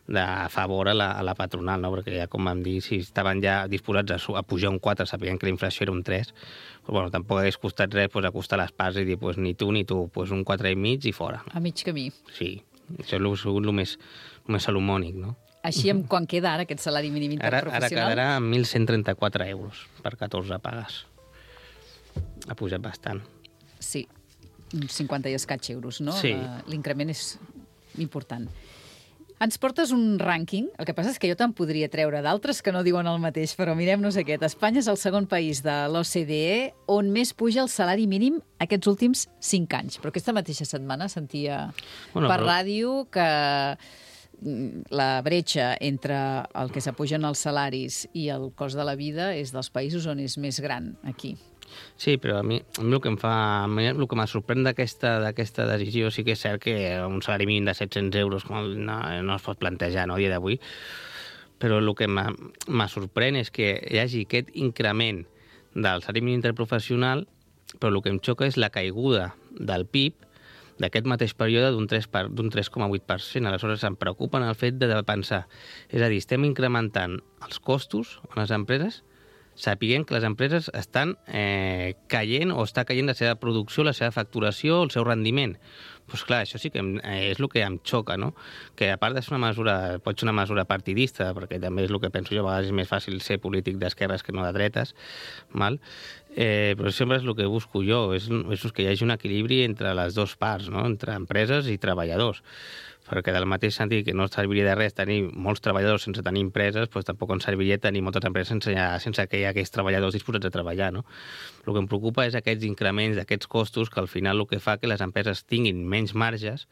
de favor a la, a la patronal, no? Perquè ja, com vam dir, si estaven ja disposats a, a pujar un quatre, sabien que la inflació era un tres, pues, bueno, tampoc hagués costat res pues, acostar les parts i dir pues, ni tu ni tu, pues, un quatre i mig i fora.
A mig camí.
Sí, això és el més, més salomònic, no?
Així, amb quan queda ara aquest salari mínim interprofessional?
Ara, ara quedarà amb mil cent trenta-quatre euros per catorze pagues. Ha pujat bastant.
Sí, cinquanta i escaig euros, no?
Sí.
L'increment és important. Ens portes un rànquing, el que passa és que jo te'n podria treure d'altres que no diuen el mateix, però mirem-nos aquest. Espanya és el segon país de l'O C D E on més puja el salari mínim aquests últims cinc anys. Però aquesta mateixa setmana sentia bueno, per però... ràdio que la bretxa entre el que s'apugen els salaris i el cost de la vida és dels països on és més gran, aquí.
Sí, però a mi, a mi el que em fa, a mi el que m'ha sorprèn d'aquesta d'aquesta decisió sí que és cert que un salari mínim de set-cents euros no, no es pot plantejar no, a dia d'avui, però el que m'ha sorprèn és que hi hagi aquest increment del salari mínim interprofessional, però el que em xoca és la caiguda del P I B d'aquest mateix període d'un tres coma vuit per cent. Aleshores em preocupa el fet de pensar, és a dir, estem incrementant els costos a les empreses sapiguem que les empreses estan eh, caient o està caient la seva producció, la seva facturació, el seu rendiment. Doncs clar, això sí que em, eh, és el que em xoca, no? Que a part de ser una mesura, pot ser una mesura partidista, perquè també és el que penso jo, a vegades és més fàcil ser polític d'esquerres que no de dretes, mal? Eh, però sempre és el que busco jo, és, és que hi hagi un equilibri entre les dues parts, no? Entre empreses i treballadors. Perquè del mateix sentit que no serviria de res tenir molts treballadors sense tenir empreses, doncs tampoc ens serviria tenir moltes empreses sense, sense que hi ha aquells treballadors disposats a treballar, no? El que em preocupa és aquests increments d'aquests costos que al final el que fa que les empreses tinguin menys marges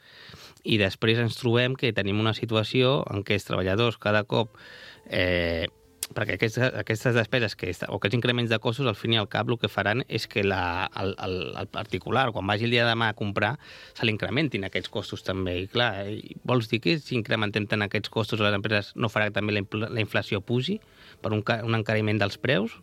i després ens trobem que tenim una situació en què els treballadors cada cop... Eh, perquè aquestes, aquestes despeses que, o aquests increments de costos al fin i al cap el que faran és que la, el, el, el particular, quan vagi el dia de demà a comprar, se l'incrementin aquests costos també. I clar, vols dir que si incrementem tant aquests costos a les empreses no farà que també la, la inflació pugi per un, un encariment dels preus?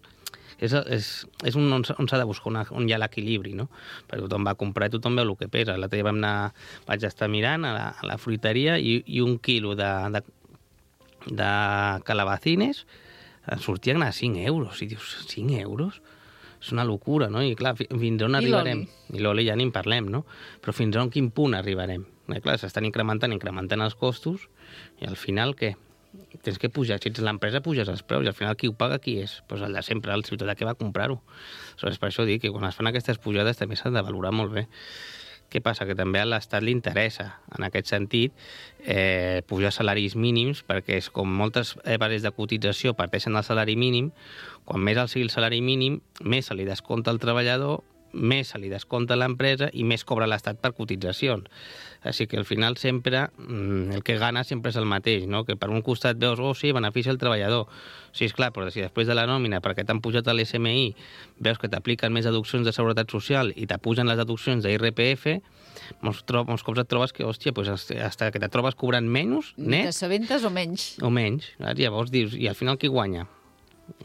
És, és, és un, on s'ha de buscar una, on hi ha l'equilibri, no? Perquè tothom va comprar i tothom veu el que pesa. L'altre dia vam anar, vaig estar mirant a la, a la fruiteria i, i un quilo de, de, de calabacines sortien a cinc euros. I dius, cinc euros? És una locura, no? I clar, fins on arribarem? I l'oli ja ni en parlem, no? Però fins on quin punt arribarem? I clar, s'estan incrementant, incrementant els costos i al final què? Tens que pujar. Si ets l'empresa, puges els preus i al final qui ho paga qui és? Doncs el de sempre, el ciutadà que va comprar-ho. Aleshores, per això dic que quan es fan aquestes pujades també s'han de valorar molt bé. Què passa? Que també a l'Estat li interessa, en aquest sentit, eh, pujar salaris mínims, perquè és com moltes bases de cotització parteixen del salari mínim, quan més alt sigui el salari mínim, més se li descompta al treballador, més se li descompta a l'empresa i més cobra l'Estat per cotitzacions. Així que al final sempre, el que gana sempre és el mateix, no? Que per un costat veus, oh sí, beneficia el treballador. Sí, és clar, però si després de la nòmina, perquè t'han pujat a l'S M I, veus que t'apliquen més deduccions de seguretat social i t'apugen les deduccions d'I R P F, molts, molts cops et trobes que, hòstia, pues, hasta que te trobes cobrant menys, net...
T'assabentes o menys.
O menys. Llavors dius, i al final qui guanya?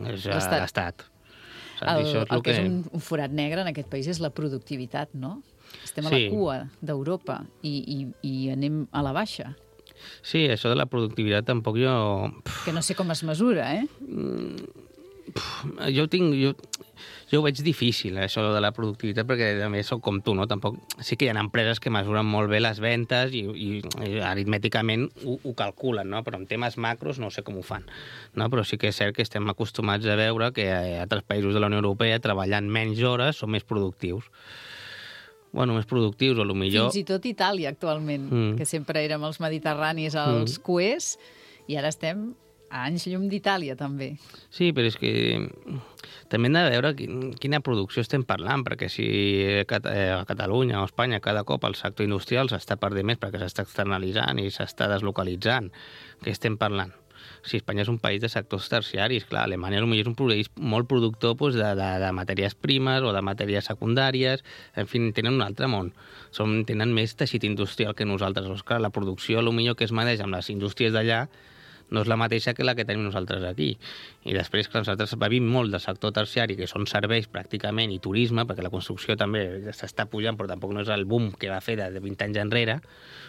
És l'Estat.
El, el, el que és un, un forat negre en aquest país és la productivitat, no? Estem a sí. la cua d'Europa i, i, i anem a la baixa.
Sí, això de la productivitat tampoc jo...
Que no sé com es mesura, eh?
Jo tinc... Jo, jo ho veig difícil, això de la productivitat, perquè també soc com tu, no? Tampoc... Sí que hi ha empreses que mesuren molt bé les ventes i, i, i aritmèticament ho, ho calculen, no? Però en temes macros no sé com ho fan, no? Però sí que és cert que estem acostumats a veure que a altres països de la Unió Europea treballant menys hores són més productius. Bueno, més productius, o millor...
Fins i tot Itàlia, actualment, mm. que sempre érem els mediterranis, els mm. cuers, i ara estem a anys llum d'Itàlia, també.
Sí, però és que també hem de veure quina producció estem parlant, perquè si a Catalunya o a Espanya cada cop el sector industrial s'està perdent més perquè s'està externalitzant i s'està deslocalitzant, què estem parlant? Si Espanya és un país de sectors terciaris, clar, Alemanya potser és un país molt productor doncs, de, de, de matèries primes o de matèries secundàries, en fi, tenen un altre món. Som, tenen més teixit industrial que nosaltres. Doncs, clar, la producció potser que es maneix amb les indústries d'allà no és la mateixa que la que tenim nosaltres aquí. I després, clar, nosaltres vivim molt del sector terciari, que són serveis pràcticament, i turisme, perquè la construcció també s'està pujant, però tampoc no és el boom que va fer de vint anys enrere.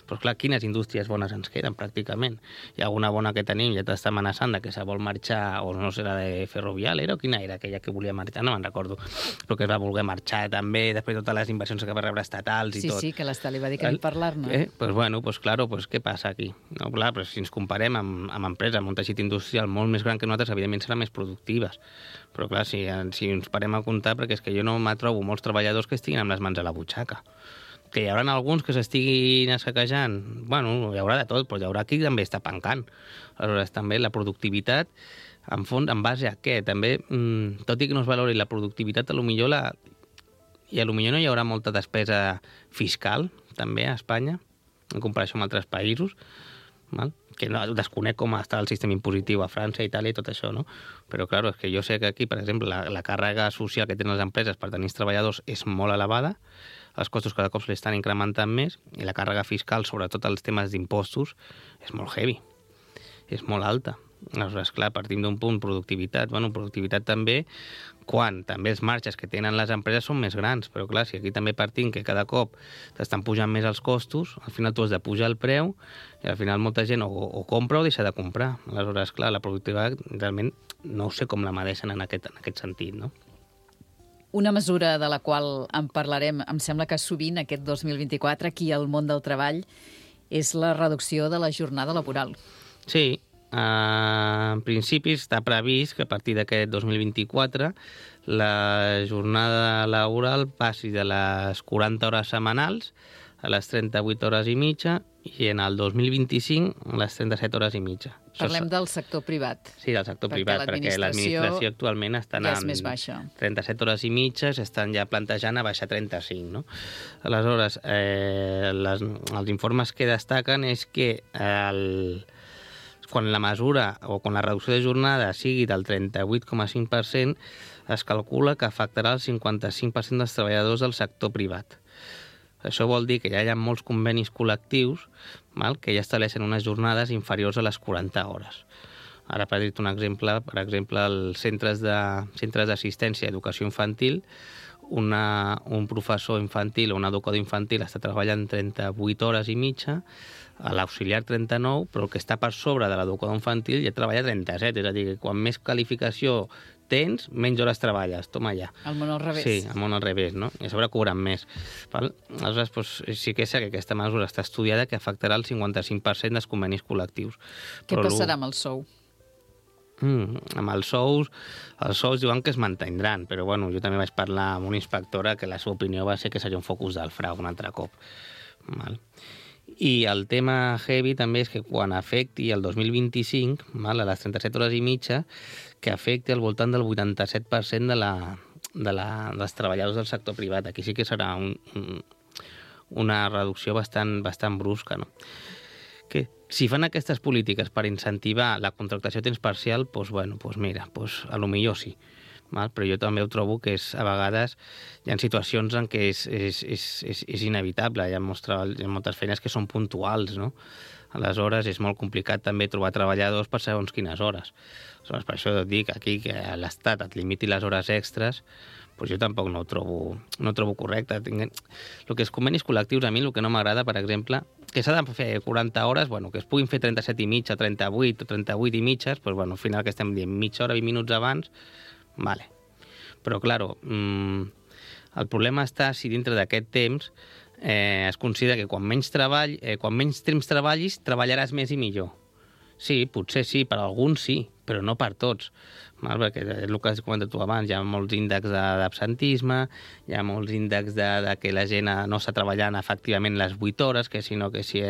Però, clar, quines indústries bones ens queden, pràcticament? Hi ha alguna bona que tenim, ja t'està amenaçant de que se vol marxar, o no sé, la de Ferrovial, era o quina era aquella que volia marxar? No me'n recordo. Però que es va voler marxar també, després de totes les inversions que va rebre estatals i
sí,
tot.
Sí, sí, que l'Estat li va dir que ni parlar-ne.
Eh? Pues bueno, pues claro, pues què passa aquí? No, clar, però si ens comparem amb, amb empreses, amb un teixit industrial molt més gran que nosaltres, evidentment seran més productives. Però clar, si, si ens parem a comptar, perquè és que jo no me trobo molts treballadors que estiguin amb les mans a la butxaca. Que hi haurà alguns que s'estiguin assaquejant. Bueno, hi haurà de tot, però hi haurà qui també està pencant. Aleshores, també la productivitat, en fons, en base a què? També, mmm, tot i que no es valori la productivitat, a lo millor la... i a lo millor no hi haurà molta despesa fiscal, també, a Espanya, en comparació amb altres països, val? Que no desconec com està el sistema impositiu a França, Itàlia i tot això, no? Però, clar, és que jo sé que aquí, per exemple, la, la càrrega social que tenen les empreses per tenir els treballadors és molt elevada, els costos cada cop se li estan incrementant més, i la càrrega fiscal, sobretot els temes d'impostos, és molt heavy, és molt alta. Aleshores, clar, partim d'un punt, productivitat. Bueno, productivitat també, quan també els marges que tenen les empreses són més grans, però clar, si aquí també partim que cada cop t'estan pujant més els costos, al final tu has de pujar el preu i al final molta gent o, o compra o deixa de comprar. Aleshores, clar, la productivitat realment no sé com la medeixen en aquest, en aquest sentit, no?
Una mesura de la qual en parlarem, em sembla que sovint aquest dos mil vint-i-quatre aquí al món del treball, és la reducció de la jornada laboral.
Sí, Uh, en principi està previst que a partir d'aquest dos mil vint-i-quatre la jornada laboral passi de les quaranta hores setmanals a les trenta-vuit hores i mitja i en el dos mil vint-i-cinc a les trenta-set hores i mitja.
Parlem del sector privat.
Sí, del sector perquè privat, perquè l'administració actualment està
ja és més baixa.
trenta-set hores i mitja, s'estan ja plantejant a baixar trenta-cinc, no? Aleshores, eh, les, els informes que destaquen és que el quan la mesura o quan la reducció de jornada sigui del trenta-vuit coma cinc per cent, es calcula que afectarà el cinquanta-cinc per cent dels treballadors del sector privat. Això vol dir que ja hi ha molts convenis col·lectius, val, que ja estableixen unes jornades inferiors a les quaranta hores. Ara, per dir-te un exemple, per exemple, els centres de, centres d'assistència a educació infantil, una, un professor infantil o un educador infantil està treballant trenta-vuit hores i mitja, a l'auxiliar trenta-nou, però el que està per sobre de l'educador infantil ja treballa trenta-set, és a dir, que quan més qualificació tens, menys hores treballes, toma ja.
El món al revés.
Sí, el món al revés, no? I a sobre cobren més. Val? Aleshores, doncs, sí que és que aquesta mesura està estudiada que afectarà el cinquanta-cinc per cent dels convenis col·lectius.
Què però passarà amb el sou?
Mm, amb els sous, els sous diuen que es mantindran, però bueno, jo també vaig parlar amb una inspectora que la seva opinió va ser que seria un focus del frau un altre cop. Val? I el tema heavy també és que quan afecti el dos mil vint-i-cinc, val, a les trenta-set hores i mitja, que afecti al voltant del vuitanta-set per cent de la, de la, dels treballadors del sector privat. Aquí sí que serà un, un, una reducció bastant, bastant brusca, no? Que si fan aquestes polítiques per incentivar la contractació a temps parcial, doncs, bueno, doncs mira, doncs, a lo millor sí. Val? Però jo també ho trobo que és, a vegades hi ha situacions en què és, és, és, és, és inevitable, hi ha, mostra, hi ha moltes feines que són puntuals, no? Aleshores és molt complicat també trobar treballadors per segons quines hores. Aleshores, per això et dic aquí que l'Estat et limiti les hores extres, doncs jo tampoc no ho trobo, no ho trobo correcte. El que és convenis col·lectius, a mi el que no m'agrada, per exemple, que s'ha de fer quaranta hores, bueno, que es puguin fer trenta-set i mitja, trenta-vuit o trenta-vuit i mitges, doncs, bueno, al final que estem dient mitja hora, vint minuts abans, vale. Però, claro, mmm, el problema està si dintre d'aquest temps eh, es considera que quan menys treball, eh, quan menys temps treballis, treballaràs més i millor. Sí, potser sí, per alguns sí, però no per tots. Val? Perquè és el que has comentat tu abans, hi ha molts índexs d'absentisme, hi ha molts índexs de, de que la gent no està treballant efectivament les vuit hores, que sinó que si,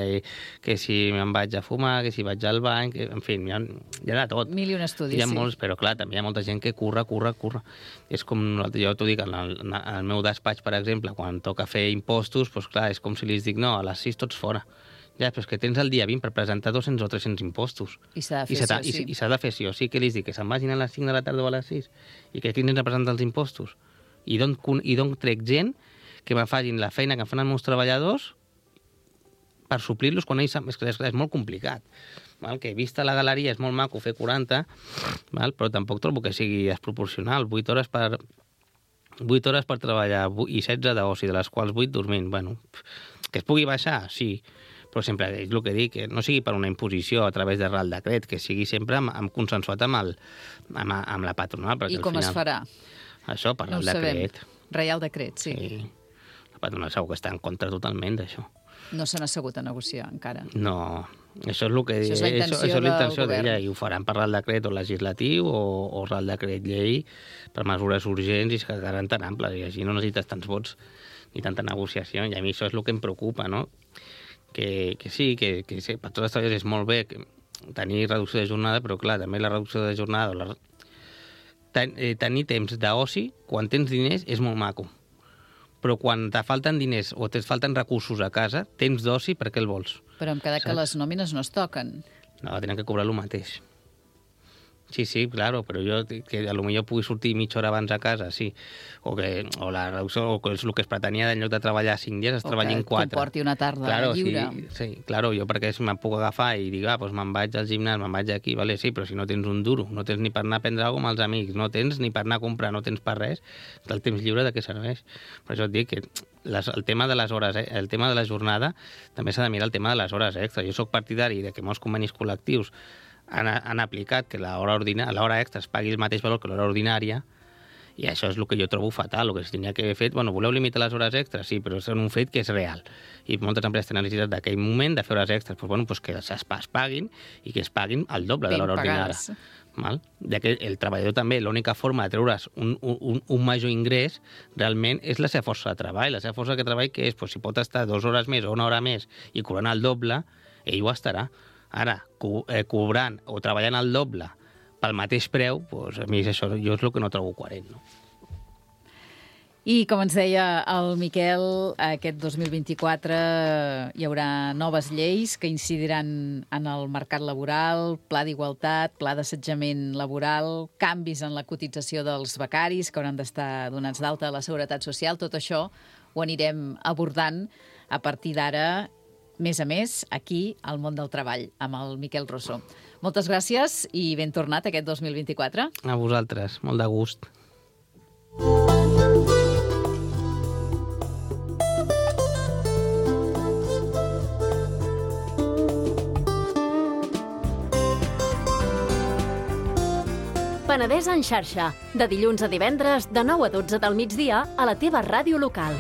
que si me'n vaig a fumar, que si vaig al bany, que, en fi, hi ha, hi ha de tot.
Mil i un estudis,
hi ha
sí.
Molts, però clar, també hi ha molta gent que curra, curra, curra. És com, jo t'ho dic, en el, en el meu despatx, per exemple, quan toca fer impostos, doncs clar, és com si li dic, no, a les sis tots fora. Ja, però és que tens el dia vint per presentar dos-cents o tres-cents impostos.
I s'ha de fer sí o sí.
I s'ha de fer sí o sí. Què li dic? Que se'n vagin a les cinc de la tarda o a les sis? I que aquí ens representen els impostos? I d'on trec gent que me facin la feina que fan els meus treballadors per suplir-los quan ells... És, és, és molt complicat. Val? Que vista la galeria és molt maco fer quaranta, val? Però tampoc trobo que sigui desproporcional. vuit hores per... vuit hores per treballar i setze d'oci, de les quals vuit dormint. Bueno, que es pugui baixar, sí, però sempre és el que dic, que no sigui per una imposició a través de Real Decret, que sigui sempre amb, amb consensuat amb, el, amb, amb la patronal.
I com
final,
es farà?
Això, per
no
el decret.
Reial Decret, sí.
sí. La patronal segur que està en contra totalment d'això.
No s'han assegut a negociar encara.
No, Això és, el que,
això és la intenció,
això, això és la intenció
d'ella,
i ho faran per Real Decret o legislatiu o, o Real Decret llei per mesures urgents i que quedaran tan amples i així no necessites tants vots ni tanta negociació i a mi això és el que em preocupa, no? Que, que sí, que, que sí, per tots els treballadors és molt bé que tenir reducció de jornada, però clar, també la reducció de jornada o la... Ten, eh, tenir temps d'oci quan tens diners és molt maco, però quan te falten diners o te falten recursos a casa, temps d'oci, per què el vols?
Però em queda
Saps?
que les nòmines no es toquen.
No, tenen que cobrar el mateix. Sí, sí, claro, però jo que a lo millor pugui sortir mitja hora abans a casa, sí. O que o la reducció, o que és el que es pretenia en lloc de treballar cinc dies, es treballi en quatre.
O que comporti una tarda
claro,
lliure.
Sí, sí, claro, jo perquè me'n puc agafar i dir, ah, doncs me'n vaig al gimnàs, me'n vaig aquí, vale, sí, però si no tens un duro, no tens ni per anar a prendre alguna cosa amb els amics, no tens ni per anar a comprar, no tens per res, el temps lliure de què serveix? Per això et dic que les, el tema de les hores, eh, el tema de la jornada, també s'ha de mirar el tema de les hores extra. Jo sóc partidari de que molts convenis col·lectius han, han aplicat que l'hora l'hora extra es pagui el mateix valor que l'hora ordinària i això és el que jo trobo fatal. El que es tenia que haver fet, bueno, voleu limitar les hores extres? Sí, però és un fet que és real. I moltes empreses tenen necessitat d'aquell moment de fer hores extres. Pues, bueno, pues que es, es paguin i que es paguin el doble de l'hora ordinària. Val? Ja que el treballador també, l'única forma de treure's un, un, un major ingrés realment és la seva força de treball. La seva força de treball que és, pues, si pot estar dues hores més o una hora més i cobrant el doble, ell ho estarà. Ara, co eh, cobrant o treballant el doble pel mateix preu, doncs a mi és això, jo és el que no trobo coherent, no?
I, com ens deia el Miquel, aquest dos mil vint-i-quatre hi haurà noves lleis que incidiran en el mercat laboral, pla d'igualtat, pla d'assetjament laboral, canvis en la cotització dels becaris que hauran d'estar donats d'alta a la Seguretat Social. Tot això ho anirem abordant a partir d'ara, més a més, aquí al món del treball, amb el Miquel Rossó. Moltes gràcies i ben tornat aquest dos mil vint-i-quatre.
A vosaltres, molt de gust.
Penedès en xarxa, de dilluns a divendres, de nou a dotze del migdia, a la teva ràdio local.